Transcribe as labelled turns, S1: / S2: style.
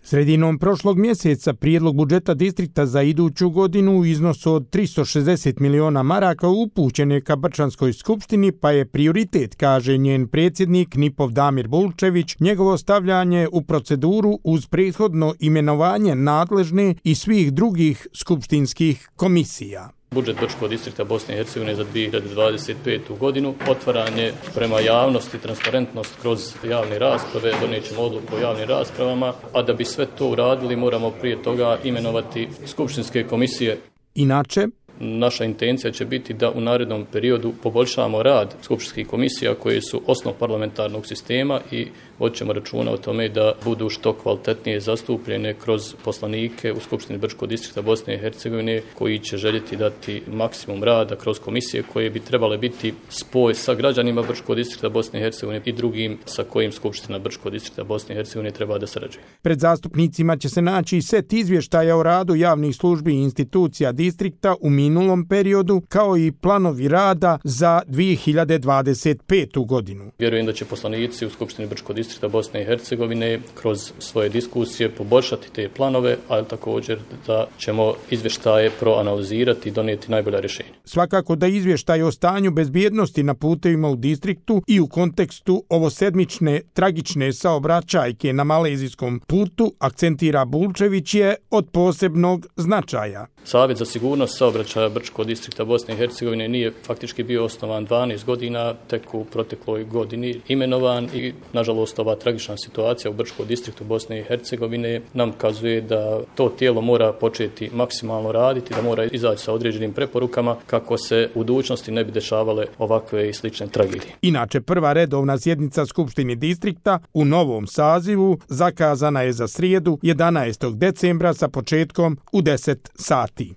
S1: Sredinom prošlog mjeseca prijedlog budžeta distrikta za iduću godinu u iznosu od 360 miliona maraka upućen je ka Brčanskoj skupštini, pa je prioritet, kaže njen predsjednik Nipov Damir Bulčević, njegovo stavljanje u proceduru uz prethodno imenovanje nadležne i svih drugih skupštinskih komisija.
S2: Budžet Brčkog distrikta Bosne i Hercegovine za 2025. godinu, otvaranje prema javnosti, transparentnost kroz javne rasprave, donijet ćemo odluku o javnim raspravama, a da bi sve to uradili moramo prije toga imenovati skupštinske komisije.
S1: Inače,
S2: naša intencija će biti da u narednom periodu poboljšamo rad skupštinskih komisija koje su osnov parlamentarnog sistema i vodit ćemo računa o tome da budu što kvalitetnije zastupljene kroz poslanike u Skupštini Brčkog distrikta Bosne i Hercegovine koji će željeti dati maksimum rada kroz komisije koje bi trebale biti spoj sa građanima Brčkog distrikta Bosne i Hercegovine i drugim sa kojim Skupština Brčkog distrikta Bosne i Hercegovine treba da sarađuje.
S1: Pred zastupnicima će se naći set izvještaja o radu javnih službi i institucija distrikta u minulom periodu, kao i planovi rada za 2025. godinu.
S2: Vjerujem da će poslanici u Skupštini Brčkog distrikta Bosne i Hercegovine kroz svoje diskusije poboljšati te planove, ali također da ćemo izvještaje proanalizirati i donijeti najbolja rješenja.
S1: Svakako da izvještaj o stanju bezbjednosti na putevima u distriktu i u kontekstu ovosedmične tragične saobraćajke na Malezijskom putu, akcentira Bulčević, je od posebnog značaja.
S2: Savjet za sigurnost saobraćaja Brčkog distrikta Bosne i Hercegovine nije faktički bio osnovan 12 godina, tek u protekloj godini imenovan i nažalost ova tragična situacija u Brčkom distriktu Bosne i Hercegovine nam kazuje da to tijelo mora početi maksimalno raditi, da mora izaći sa određenim preporukama kako se u budućnosti ne bi dešavale ovakve i slične tragedije.
S1: Inače, prva redovna sjednica Skupštine distrikta u novom sazivu zakazana je za srijedu 11. decembra sa početkom u 10 sati.